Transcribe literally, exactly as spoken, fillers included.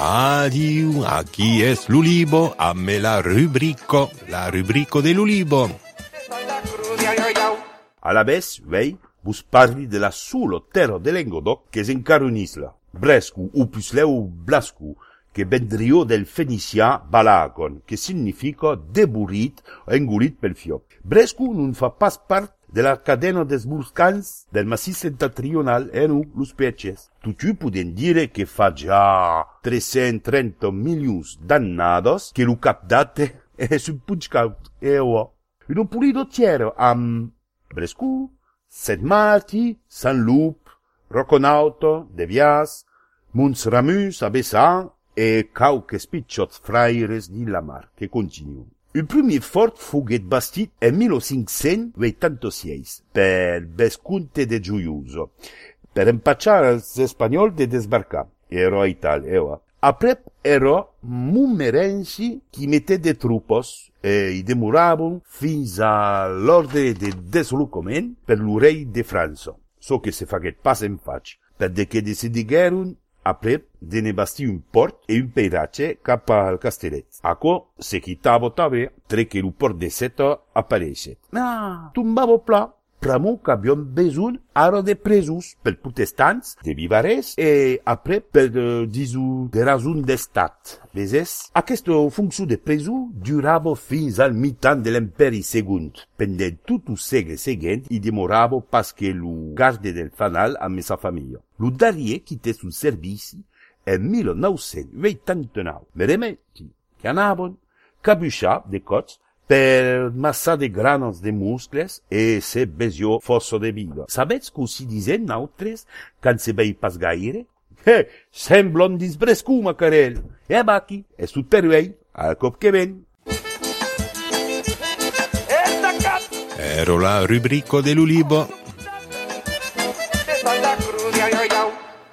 Adieu, aquí es l'Ulibo, a me la rubrico, la rubrico de l'Ulibo. A la vez, vei, vos parli de la sulo terra de Languedoc que s'encara un'isla. Brescu, o pusleu Blascu, que vendrió del fenicià Balagon, que significa deburit o engolit pel fiop. Brescu non fa pas part de la cadena des volcans del massís septentrional e non los peces. Tutti poden dire che fa già trecentotrenta milioni d'annados che lo capdate è sul punchcaut e o. In un pulido tiero am Brescu, Saint Marti, Saint Loup, Roconauto, De Vias, Mons Ramus, Abessan e cauques picciots fraires di la mar, che continuano. Il premier fort fuguet bastit en mille cinq cents vuitanta-sei per Vesconte de Giuiuso, per empacciar als espanyols de desbarcar. Ero a Italia, ero. Aprep ero Montmorency qui mettait de trupos e i demoraven fins a l'ordre de deslocament per l'orell de França, so que se faguet pas en faig, per de que decidigueren aprep de ne bastir un port e un peiratge cap al castellet. Aco se quitava també tre que el port de Seta apareixet. Ah, tombava pla. Pramo que havíem besoin ara de presos per protestants de Vivarès e après per uh, disu de rason d'estat. Veses? Aquesta funció de preso durava fins al mitan de l'imperi segon. Pendent tot el segle següent i demorava pas que lo garde del fanal amb sa família. Lo darrier quitté sul servici en mille nou-cents vuitanta-nou. Me remetti que anaven cabuixar de cots per massa de granos de muscles e se besio fosso de vida. Sabets que si disen nautres quan se vei pas gaire? Eh, semblon disbrescu, macarel. E abaci, e sut per vei, al cop que ven. Ero la rubrico de l'Ulibo.